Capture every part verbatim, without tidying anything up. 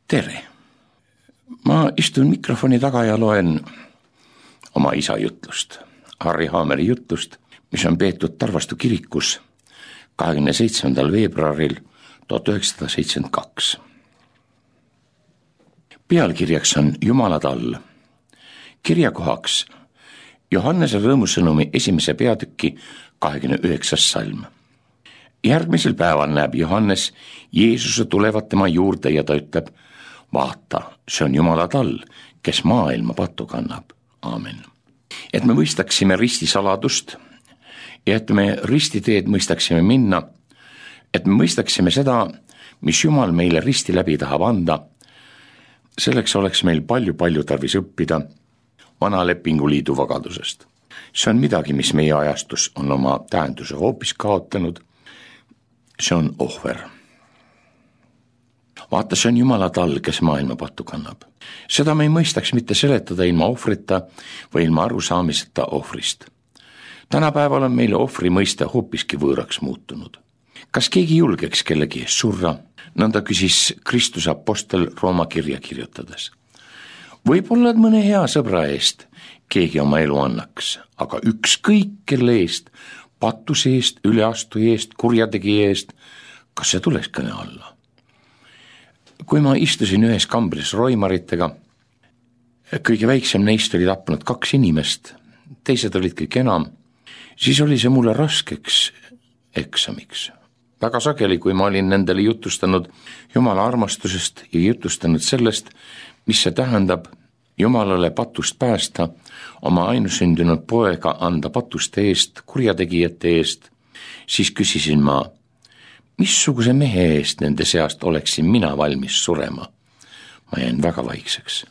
tere! Ma istun mikrofoni taga ja loen oma isa jutlust, Harri Haameri jutlust, mis on peetud Tarvastu kirikus kahekümne seitsmendal veebruaril tuhat üheksasada seitsekümmend kaks. Pealkirjaks on Jumala tall. Kirjakohaks Johannese rõõmusõnumi esimese peatüki kahekümne üheksas salm. Järgmisel päeval näeb Johannes Jeesuse tulevat tema juurde ja ta ütleb: vaata, see on Jumala tall, kes maailma pattu kannab. Aamen. Et me mõistaksime risti saladust ja et me ristiteed mõistaksime minna, et me mõistaksime seda, mis Jumal meile risti läbi tahab anda, selleks oleks meil palju-palju tarvis õppida vana lepinguliidu vagadusest. See on midagi, mis meie ajastus on oma tähenduse hoopis kaotanud. See on ohver. Vaata, see on Jumala tall, kes maailma pattu kannab. Seda me ei mõistaks mitte seletada ilma ohvrita või ilma arusaamiseta ohvrist. Tänapäeval on meile ohvri mõiste hoopiski võõraks muutunud. Kas keegi julgeks kellegi eest surra? Nõnda küsis Kristuse apostel Rooma kirja kirjutades. Võib-olla mõne hea sõbra eest keegi oma elu annaks, aga ükskõik kelle eest, patuse eest, üleastuja eest, kurjategi eest, kas see tuleks kõne alla? Kui ma istusin ühes kambris roimaritega, kõige väiksem neist oli tapnud kaks inimest, teised olid kõik enam, siis oli see mulle raskeks eksamiks. Väga sageli, kui ma olin nendele jutustanud Jumala armastusest ja jutustanud sellest, mis see tähendab Jumalale patust päästa, oma ainusündinud poega anda patuste eest, kurjategijate eest, siis küsisin ma, missuguse mehe eest nende seast oleksin mina valmis surema. Ma jäin väga vaikseks.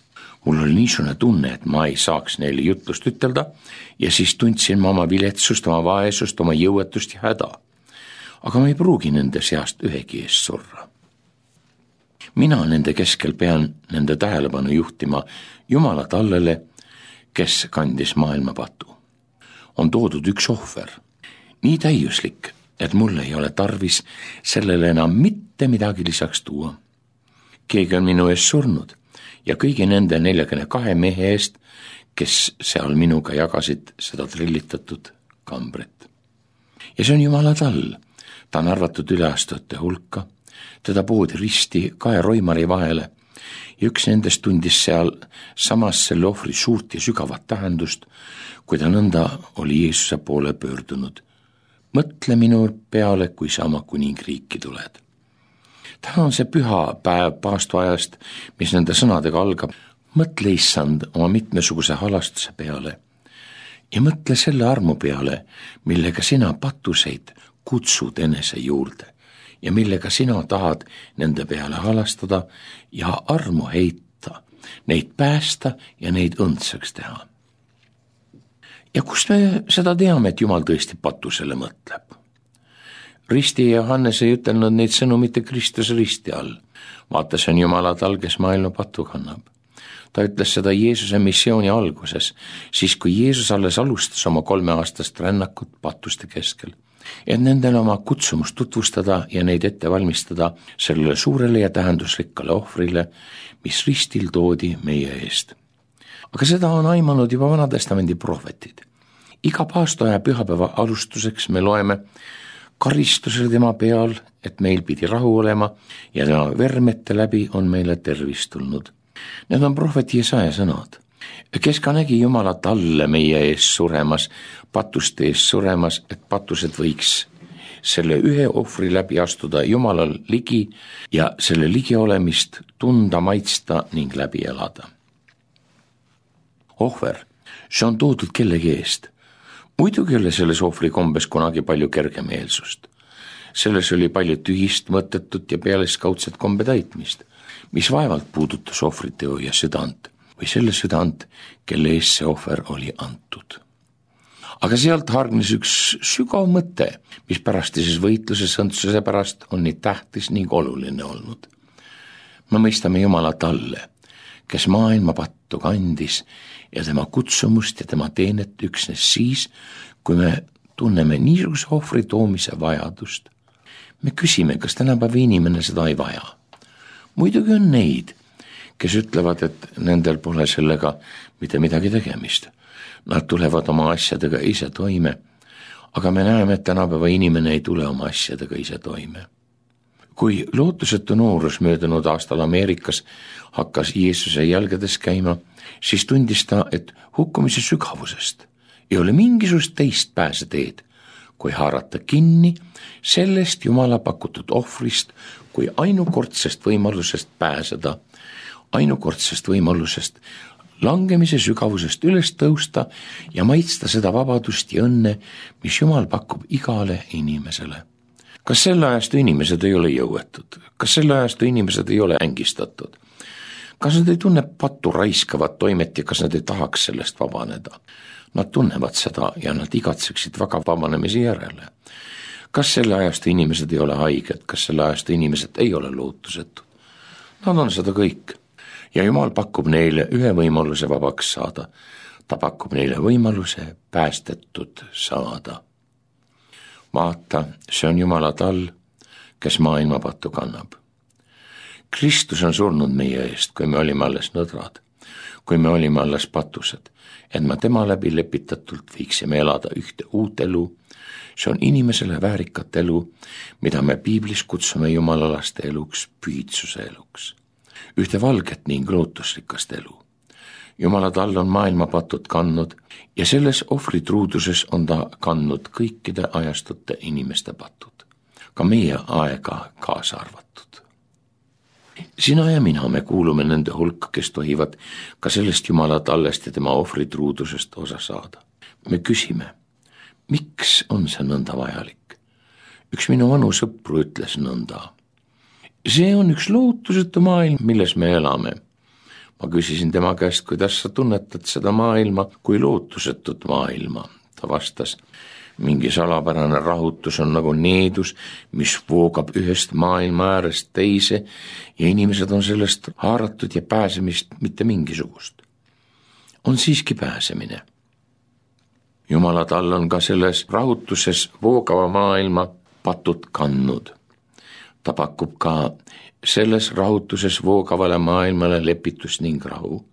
Mul oli niisugune tunne, et ma ei saaks neile jutlust ütelda ja siis tundsin ma oma viletsust, oma vaesust, oma jõuetust ja häda. Aga ma ei pruugi nende seast ühegi eest surra. Mina nende keskel pean nende tähelepanu juhtima Jumala tallele, kes kandis maailma patu. On toodud üks ohver, nii täiuslik, et mul ei ole tarvis sellele enam mitte midagi lisaks tuua. Keegi on minu eest surnud ja kõigi nende neljakümne kahe mehe eest, kes seal minuga jagasid seda trillitatud kambrit. Ja see on Jumala tall, ta on arvatud üleastujate hulka, teda poodi risti kahe roimari vahele ja üks nendest tundis seal samas selle ohvri suurt ja sügavat tähendust, kui ta nõnda oli Jeesuse poole pöördunud. Mõtle minu peale, kui sa oma kuningriiki tuled. Täna on see püha päev paastuajast, mis nende sõnadega algab. Mõtle, issand, oma mitmesuguse halastuse peale ja mõtle selle armu peale, millega sina patuseid kutsud enese juurde ja millega sina tahad nende peale halastada ja armu heita, neid päästa ja neid õndsaks teha. Ja kust me seda teame, et Jumal tõesti patusele mõtleb? Risti ja Johannes ei ütelnud neid sõnu mitte Kristuse risti all. Vaata, see on Jumala tall, kes maailma patu kannab. Ta ütles seda Jeesuse missiooni alguses, siis kui Jeesus alles alustas oma kolmeaastast rännakut patuste keskel, et nendele oma kutsumust tutvustada ja neid ette valmistada sellele suurele ja tähendusrikkale ohvrile, mis ristil toodi meie eest. Aga seda on aimanud juba Vanatestamendi prohvetid. Iga paastoaja pühapäeva alustuseks me loeme karistusele tema peal, et meil pidi rahu olema ja tema vermete läbi on meile tervist tulnud. Need on prohveti Jesaja sõnad, kes ka nägi Jumala talle meie ees suremas, patuste ees suremas, et patused võiks selle ühe ohvri läbi astuda Jumalal ligi ja selle ligi olemist tunda, maitsta ning läbi elada. Ohver, see on toodud kellegi eest. Muidugi oli selles ohvri kombes kunagi palju kergemeelsust. Selles oli palju tühist, mõttetut ja pealeskaudset kombe täitmist, mis vaevalt puudutas ohvriteo ja südant või selle südant, kelle ees see ohver oli antud. Aga sealt hargnes üks sügav mõte, mis pärastises võitluses õndsuse pärast on nii tähtis ning oluline olnud. Me mõistame Jumala talle, kes maailma pattu kandis ja tema kutsumust ja tema teenet üksnes siis, kui me tunneme niisuguse ohvri toomise vajadust. Me küsime, kas tänapäeva inimene seda ei vaja. Muidugi on neid, kes ütlevad, et nendel pole sellega mitte midagi tegemist. Nad tulevad oma asjadega ise toime, aga me näeme, et tänapäeva inimene ei tule oma asjadega ise toime. Kui lootusetu noorus möödunud aastal Ameerikas hakkas Jeesuse jälgedes käima, siis tundis ta, et hukkumise sügavusest ei ole mingisugust teist pääseteed, kui haarata kinni sellest Jumala pakutud ohvrist kui ainukordsest võimalusest pääseda, ainukordsest võimalusest langemise sügavusest üles tõusta ja maitsta seda vabadust ja õnne, mis Jumal pakub igale inimesele. Kas selle ajastu inimesed ei ole jõuetud? Kas selle ajastu inimesed ei ole ängistatud? Kas nad ei tunne pattu raiskavat toimet ja kas nad ei tahaks sellest vabaneda? Nad tunnevad seda ja nad igatseksid väga vabanemise järele. Kas selle ajastu inimesed ei ole haiged? Kas selle ajastu inimesed ei ole lootusetud? Nad on seda kõik. Ja Jumal pakub neile ühe võimaluse vabaks saada. Ta pakub neile võimaluse päästetud saada. Vaata, see on Jumala tall, kes maailma pattu kannab. Kristus on surnud meie eest, kui me olime alles nõdrad, kui me olime alles patused, et me tema läbi lepitatult viiksime elada ühte uut elu. See on inimesele väärikat elu, mida me piiblis kutsume Jumala laste eluks, pühitsuse eluks. Ühte valget ning lootusrikast elu. Jumala tall on maailma patud kandnud ja selles ohvritruuduses on ta kandnud kõikide ajastute inimeste patud, ka meie aega kaasa arvatud. Sina ja mina me kuulume nende hulka, kes tohivad ka sellest Jumala tallest ja tema ohvritruudusest osa saada. Me küsime, miks on see nõnda vajalik? Üks minu vanu sõpru ütles nõnda. See on üks lootusetu maailm, milles me elame. Ma küsisin tema käest, kuidas sa tunnetad seda maailma kui lootusetut maailma. Ta vastas, mingi salapärane rahutus on nagu needus, mis voogab ühest maailma äärest teise ja inimesed on sellest haaratud ja pääsemist mitte mingisugust. On siiski pääsemine. Jumala tall on ka selles rahutuses voogava maailma patud kandnud. Ta pakub ka selles rahutuses voogavale maailmale lepitus ning rahu.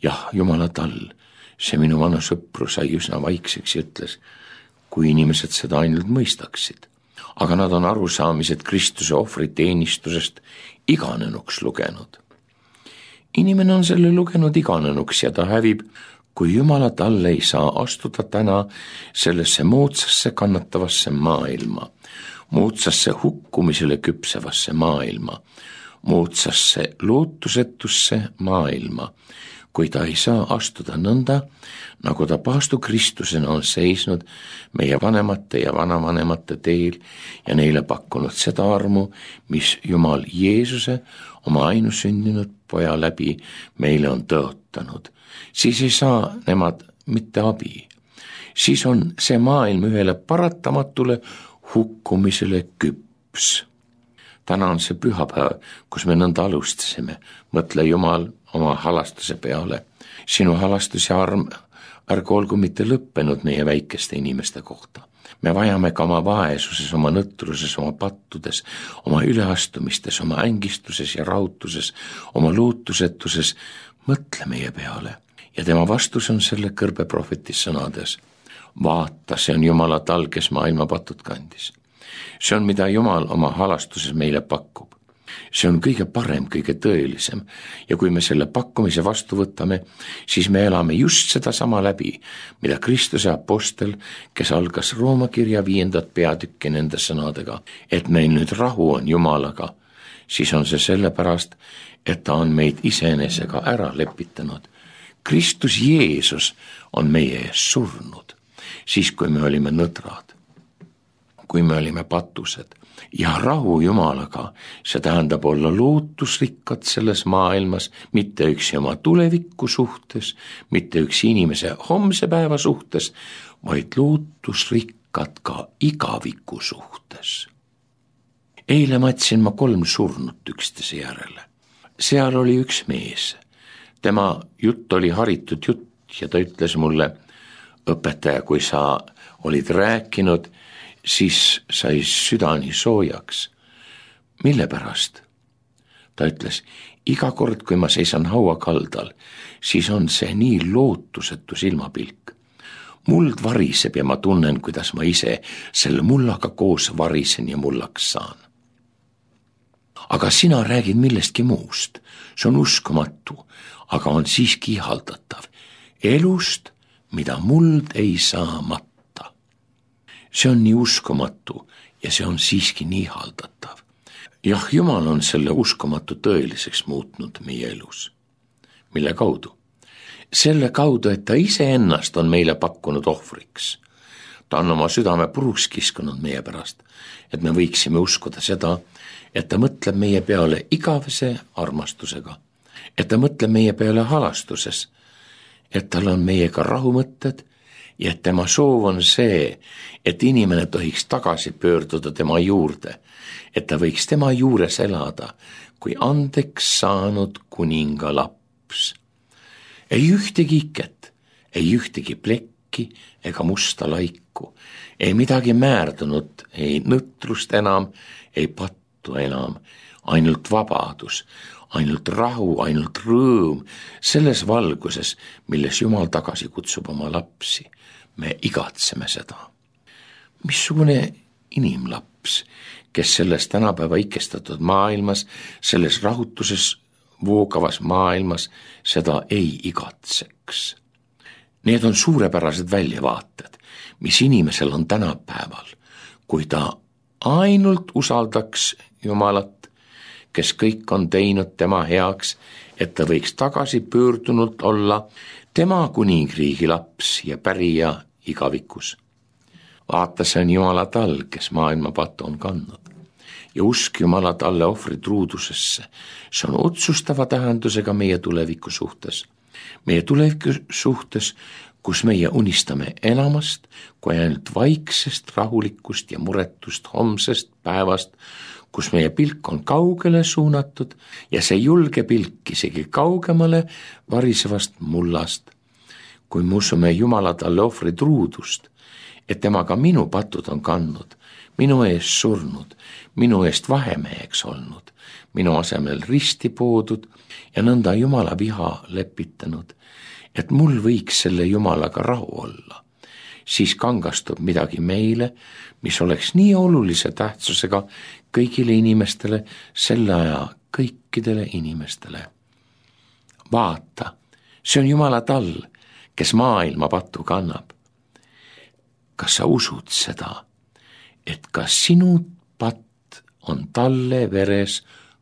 Jah, Jumala tall, see minu vana sõpru sai üsna vaikseks ja ütles, kui inimesed seda ainult mõistaksid. Aga nad on arusaamised Kristuse ohvriteenistusest iganenuks lugenud. Inimene on selle lugenud iganenuks ja ta hävib, kui Jumala tall ei saa astuda täna sellesse moodsasse kannatavasse maailma, moodsasse hukkumisele küpsevasse maailma, moodsasse lootusetusse maailma, kui ta ei saa astuda nõnda, nagu ta paastu Kristusena on seisnud meie vanemate ja vanavanemate teel ja neile pakkunud seda armu, mis Jumal Jeesuse oma ainusündinud poja läbi meile on tõotanud. Siis ei saa nemad mitte abi. Siis on see maailm ühele paratamatule hukkumisele küps. Täna on see pühapäev, kus me nõnda alustasime. Mõtle Jumal oma halastuse peale. Sinu halastus ja arm ärgu olgu mitte lõppenud meie väikeste inimeste kohta. Me vajame ka oma vaesuses, oma nõtruses, oma pattudes, oma üleastumistes, oma ängistuses ja rahutuses, oma lootusetuses. Mõtle meie peale. Ja tema vastus on selle kõrbe prohvetis sõnades. Vaata, see on Jumala tall, kes maailma patud kandis. See on, mida Jumal oma halastuses meile pakub. See on kõige parem, kõige tõelisem ja kui me selle pakkumise vastu võtame, siis me elame just seda sama läbi, mida Kristuse apostel, kes algas Rooma kirja viiendat peatükki nende sõnadega, et meil nüüd rahu on Jumalaga, siis on see sellepärast, et ta on meid iseenesega ära lepitanud. Kristus Jeesus on meie ees surnud. Siis kui me olime nõdrad, kui me olime patused ja rahu Jumalaga, see tähendab olla lootusrikkad selles maailmas, mitte üksi oma tuleviku suhtes, mitte üksi inimese homse päeva suhtes, vaid lootusrikkad ka igaviku suhtes. Eile matsin ma kolm surnut üksteise järele. Seal oli üks mees. Tema jutt oli haritud jutt ja ta ütles mulle, õpetaja, kui sa olid rääkinud, siis sai südani soojaks. Mille pärast? Ta ütles, iga kord, kui ma seisan haua kaldal, siis on see nii lootusetu silmapilk. Muld variseb ja ma tunnen, kuidas ma ise selle mullaga koos varisen ja mullaks saan. Aga sina räägid millestki muust. See on uskumatu, aga on siiski ihaldatav. Elust, mida muld ei saa matta. See on nii uskumatu ja see on siiski nii ihaldatav. Jah, Jumal on selle uskumatu tõeliseks muutnud meie elus. Mille kaudu? Selle kaudu, et ta iseennast on meile pakkunud ohvriks. Ta on oma südame puruks kiskunud meie pärast, et me võiksime uskuda seda, et ta mõtleb meie peale igavese armastusega, et ta mõtleb meie peale halastuses, et tal on meiega rahumõtted ja et tema soov on see, et inimene tohiks tagasi pöörduda tema juurde, et ta võiks tema juures elada kui andeks saanud kuninga laps. Ei ühtegi iket, ei ühtegi plekki ega musta laiku, ei midagi määrdunud, ei nõtrust enam, ei pattu enam, ainult vabadus, ainult rahu, ainult rõõm, selles valguses, milles Jumal tagasi kutsub oma lapsi. Me igatseme seda. Missugune inimlaps, kes selles tänapäeva ikestatud maailmas, selles rahutuses voogavas maailmas seda ei igatseks. Need on suurepärased väljavaated, mis inimesel on tänapäeval, kui ta ainult usaldaks Jumalat, kes kõik on teinud tema heaks, et ta võiks tagasi pöördunult olla tema kuningriigi laps ja pärija igavikus. Vaata, see on Jumala tall, kes maailma pattu on kandnud. Ja usk Jumala talle ohvri truudusesse, see on otsustava tähendusega meie tuleviku suhtes. Meie tuleviku suhtes, kus meie unistame enamast kui ainult vaiksest rahulikust ja muretust homsest päevast, kus meie pilk on kaugele suunatud ja see julge pilk isegi kaugemale varisevast mullast. Kui me usume Jumala talle ohvri truudust, et tema ka minu patud on kandnud, minu eest surnud, minu eest vahemeheks olnud, minu asemel risti poodud ja nõnda Jumala viha lepitanud, et mul võiks selle Jumalaga rahu olla. Siis kangastub midagi meile, mis oleks nii olulise tähtsusega kõigile inimestele, selle aja kõikidele inimestele. Vaata, see on Jumala tall, kes maailma pattu kannab. Kas sa usud seda, et ka sinu patt on talle veres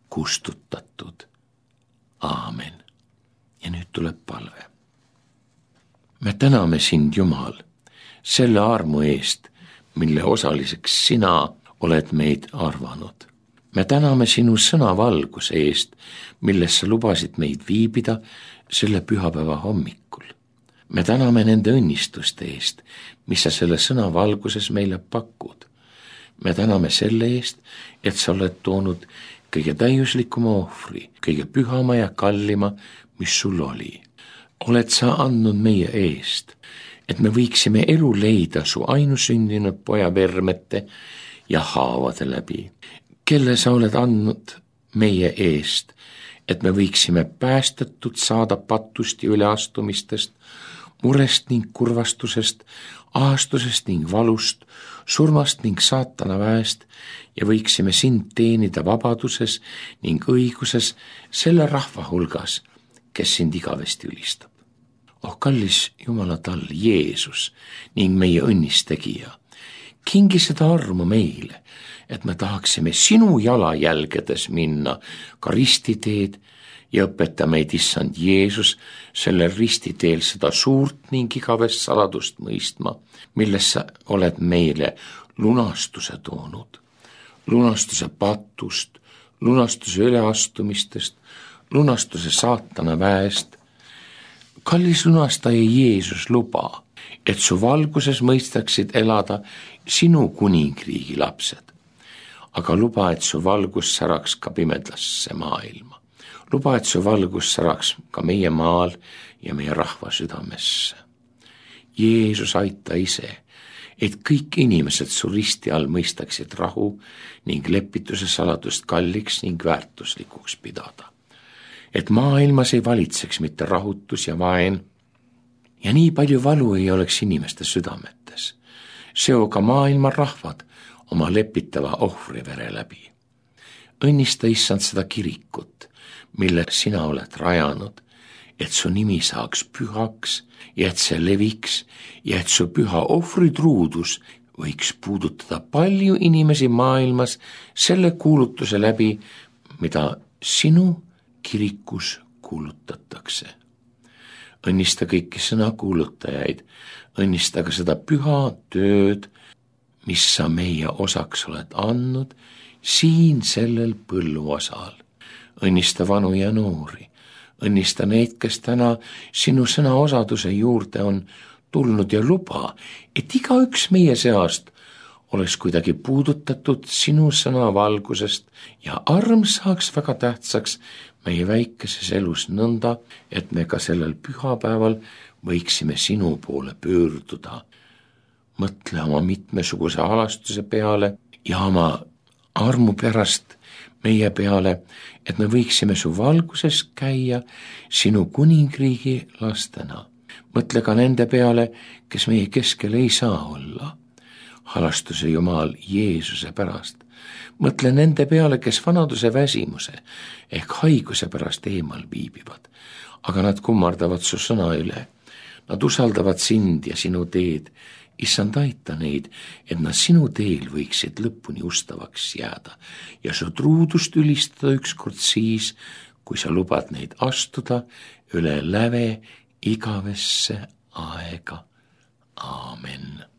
kustutatud? Aamen. Ja nüüd tuleb palve. Me täname sind, Jumal, selle armu eest, mille osaliseks sina oled meid arvanud. Me täname sinu sõnavalguse eest, milles sa lubasid meid viibida selle pühapäeva hommikul. Me täname nende õnnistuste eest, mis sa selle sõnavalguses meile pakud. Me täname selle eest, et sa oled toonud kõige täiuslikuma ohvri, kõige pühama ja kallima, mis sul oli. Oled sa andnud meie eest, et me võiksime elu leida su ainusündinud poja vermete ja haavade läbi, kelle sa oled andnud meie eest, et me võiksime päästetud saada patust ja üleastumistest, murest ning kurvastusest, ahastusest ning valust, surmast ning saatana väest ja võiksime sind teenida vabaduses ning õiguses selle rahva hulgas, kes sind igavesti ülistab. Oh kallis Jumala tall, Jeesus ning meie õnnistegija, kingi seda armu meile, et me tahaksime sinu jalajälgedes minna ka ristiteed ja õpeta meid, issand Jeesus, sellel ristiteel seda suurt ning igavest saladust mõistma, milles sa oled meile lunastuse toonud. Lunastuse patust, lunastuse üleastumistest, lunastuse saatana väest. Kallis lunastaja Jeesus, luba, et su valguses mõistaksid elada sinu kuningriigi lapsed. Aga luba, et su valgus säraks ka pimedasse maailma. Luba, et su valgus säraks ka meie maal ja meie rahva südamesse. Jeesus, aita ise, et kõik inimesed su risti all mõistaksid rahu ning lepituse saladust kalliks ning väärtuslikuks pidada. et maailmas ei valitseks mitte rahutus ja vaen ja nii palju valu ei oleks inimeste südametes. Seo ka maailma rahvad oma lepitava ohvrivere läbi. Õnnista, Issand, seda kirikut, mille sina oled rajanud, et su nimi saaks pühaks ja et see leviks ja et su püha ohvritruudus võiks puudutada palju inimesi maailmas selle kuulutuse läbi, mida sinu kirikus kuulutatakse. Õnnista kõiki sõnakuulutajaid, õnnista ka seda püha tööd, mis sa meie osaks oled andnud siin sellel põlluosal. Õnnista vanu ja noori, õnnista neid, kes täna sinu sõna osaduse juurde on tulnud ja luba, et igaüks meie seast oleks kuidagi puudutatud sinu sõna valgusest ja arm saaks väga tähtsaks meie väikeses elus nõnda, et me ka sellel pühapäeval võiksime sinu poole pöörduda. Mõtle oma mitmesuguse halastuse peale ja oma armu pärast meie peale, et me võiksime su valguses käia sinu kuningriigi lastena. Mõtle ka nende peale, kes meie keskel ei saa olla. Halastuse Jumal Jeesuse pärast. Mõtle nende peale, kes vanaduse väsimuse ehk haiguse pärast eemal viibivad, aga nad kummardavad su sõna üle. Nad usaldavad sind ja sinu teed. Issand, aita neid, et nad sinu teel võiksid lõpuni ustavaks jääda ja su truudust ülistada ükskord siis, kui sa lubad neid astuda üle läve igavesse aega. Aamen.